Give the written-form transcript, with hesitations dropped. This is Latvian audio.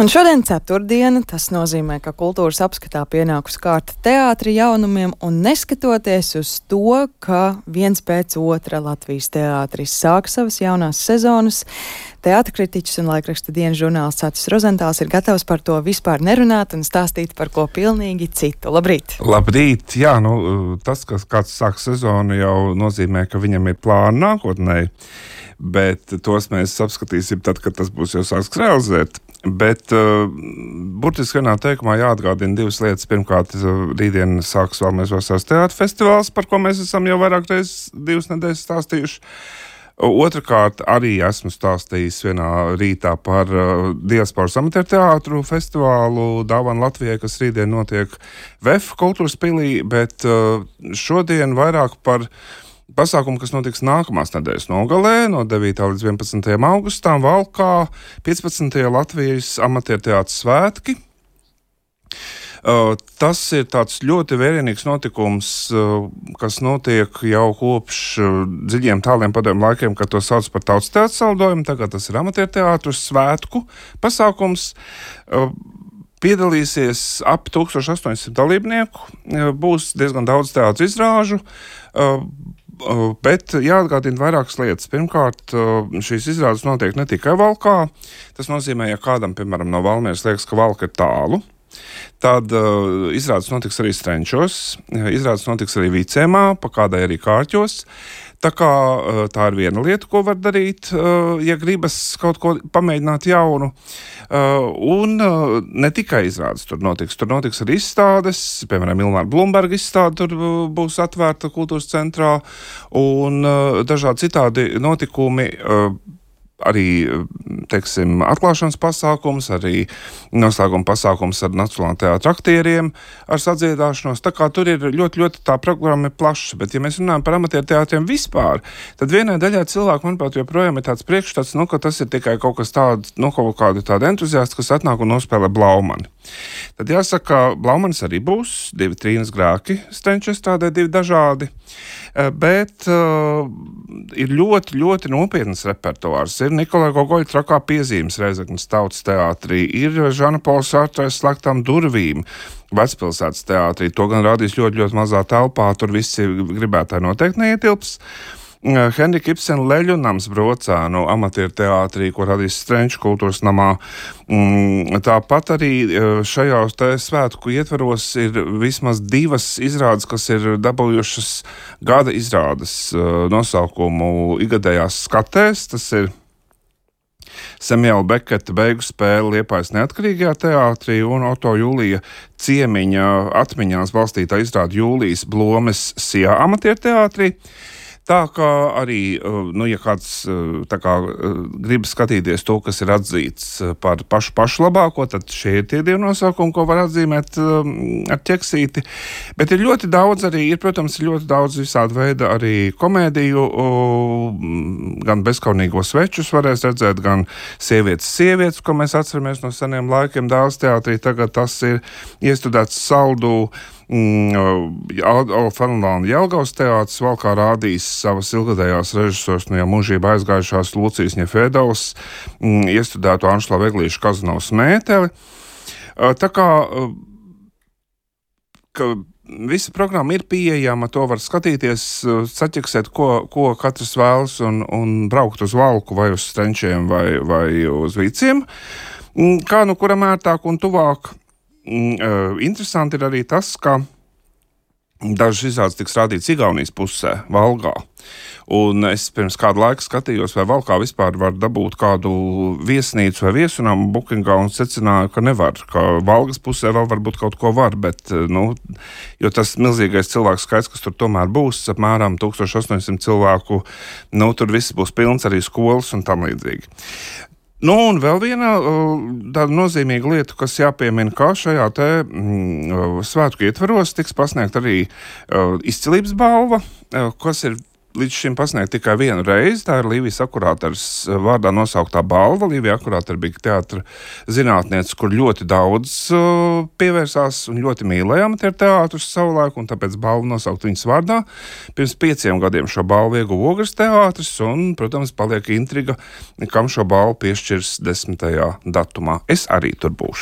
Un šodien ceturtdiena, tas nozīmē, ka kultūras apskatā pienākus kārta teātri jaunumiem, un neskatoties uz to, ka viens pēc otra Latvijas teātris sāk savas jaunās sezonas, teātrkritiķis un laikraksta dienas žurnālists Atis Rozentāls ir gatavs par to vispār nerunāt un stāstīt par ko pilnīgi citu. Labrīt! Labrīt! Jā, tas, ka kāds sāk sezonu, jau nozīmē, ka viņam ir plāni nākotnē, bet tos mēs apskatīsim tad, kad tas būs jau sāks realizēt. Bet burtiski vienā teikumā jāatgādina divas lietas. Pirmkārt, rītdien sāks Valmieras vasaras teātra festivāls, par ko mēs esam jau vairāk reizes 2 nedēļas stāstījuši. Otrakārt, arī esmu stāstījis vienā rītā par diasporas amatieru teātru festivālu Dāvana Latvijai, kas rītdien notiek VEF kultūras pilī, bet šodien vairāk par pasākumu, kas notiks nākamās nedēļas nogalē, no 9. līdz 11. augustam, Valkā, 15. Latvijas amatieru teātras svētki. Tas ir tāds ļoti vērienīgs notikums, kas notiek jau kopš dziļiem tāliem padomju laikiem, kad to sauc par tautas teātras saldojumu. Tagad tas ir amatieru teātras svētku pasākums. Piedalīsies ap 1800 dalībnieku, būs diezgan daudz teātras izrāžu, bet jāatgādina vairākas lietas. Pirmkārt, šīs izrādes notiek ne tikai Valkā. Tas nozīmē, ja kādam, piemēram, no Valmieras liekas, ka Valka ir tālu, tad izrādes notiks arī Strenčos, izrādes notiks arī Vicēmā, pa kādai arī Kārķos. Tā kā tā ir viena lieta, ko var darīt, ja gribas kaut ko pamēģināt jaunu. Un ne tikai izrādes tur notiks arī izstādes, piemēram, Ilmāra Blumberga izstāde tur būs atvērta kultūras centrā, un dažādi citādi notikumi, arī, teiksim, atklāšanas pasākums, arī noslēguma pasākums ar Nacionālā teātra aktieriem, ar sadziedāšanos. Tā kā tur ir ļoti tā programma ir plaša, bet ja mēs runājam par amatieru teātriem vispār, tad vienai daļai cilvēku, manuprāt, joprojām ir tāds priekšstats, ka tas ir tikai kaut kas tāds, kaut kādi tādi entuziasti, kas atnāk un nospēlē Blaumani. Tad jāsaka, Blaumanis arī būs, 2 trīnas grēki, Strenčes tādai 2 dažādi, bet ir ļoti nopietnas repertuārs. Ir Nikolai Gogoļa Trakā piezīmes Reizeknas tautas teātrī, ir Žana Pola Sartrais Slēgtām durvīm Vecpilsētas teātrī. To gan rādīs ļoti mazā telpā, tur visi gribētāji noteikti neietilps. Henrika Ibsena Leļu nams Brocēnu amatieru teātrī, ko radīs Strenču kultūras namā. Tāpat arī šajos te svētku ietvaros ir vismaz 2 izrādes, kas ir dabūjušas gada izrādes nosaukumu igadējās skatēs. Tas ir Samuela Beketa beigu spēle Liepājas neatkarīgajā teātrī un Oto Julija Ciemiņa atmiņās balstītā izrāde Jūlijas Blomes Sijā amatieru teātrī. Tā kā arī, ja kāds grib skatīties to, kas ir atzīts par pašu labāko, tad šie ir tie 2 nosaukumi, ko var atzīmēt ar ķeksīti. Bet ir ļoti daudz arī, protams, ļoti daudz visāda veida arī komēdiju, gan bezkaunīgo svečus varēs redzēt, gan sievietes, ko mēs atceramies no seniem laikiem Dāles teātrī. Tagad tas ir iestudēts Saldu Fenelāna Jelgavas teātris. Valkā rādīs savas ilgadējās režisors, jau mūžībā aizgājušās Lucijas Ņefēdovas iestudēto Anšlavu Eglīšu Kazanovas mēteli. Tā kā visa programma ir pieejama, to var skatīties, saķeksēt, ko katrs vēlas un braukt uz Valku vai uz Strenčiem vai uz Viciem. Kā kuram ērtāk un tuvāk. Interesanti ir arī tas, ka dažas izrādes tiks rādīts Igaunijas pusē, Valgā. Un es pirms kādu laiku skatījos, vai Valkā vispār var dabūt kādu viesnīcu vai viesunamu bookingā, un secināju, ka nevar, ka Valgas pusē vēl varbūt kaut ko var, bet, jo tas milzīgais cilvēku skaits, kas tur tomēr būs, apmēram 1800 cilvēku, tur viss būs pilns, arī skolas un tam līdzīgi. Un vēl viena tāda nozīmīga lieta, kas jāpiemina, kā šajā te svētku ietvaros tiks pasniegt arī izcilības balva, kas ir līdz šim pasniegta tikai vienu reizi. Tā ir Līvijas Akurāters vārdā nosauktā balva. Līvija Akurātera bija teātra zinātniece, kur ļoti daudz pievērsās un ļoti mīlēja amatieru teātrus savulaik, un tāpēc balvu nosaukt viņas vārdā. Pirms 5 gadiem šo balvu ieguva Ogres teātris, un, protams, paliek intriga, kam šo balvu piešķirs 10. datumā. Es arī tur būšu.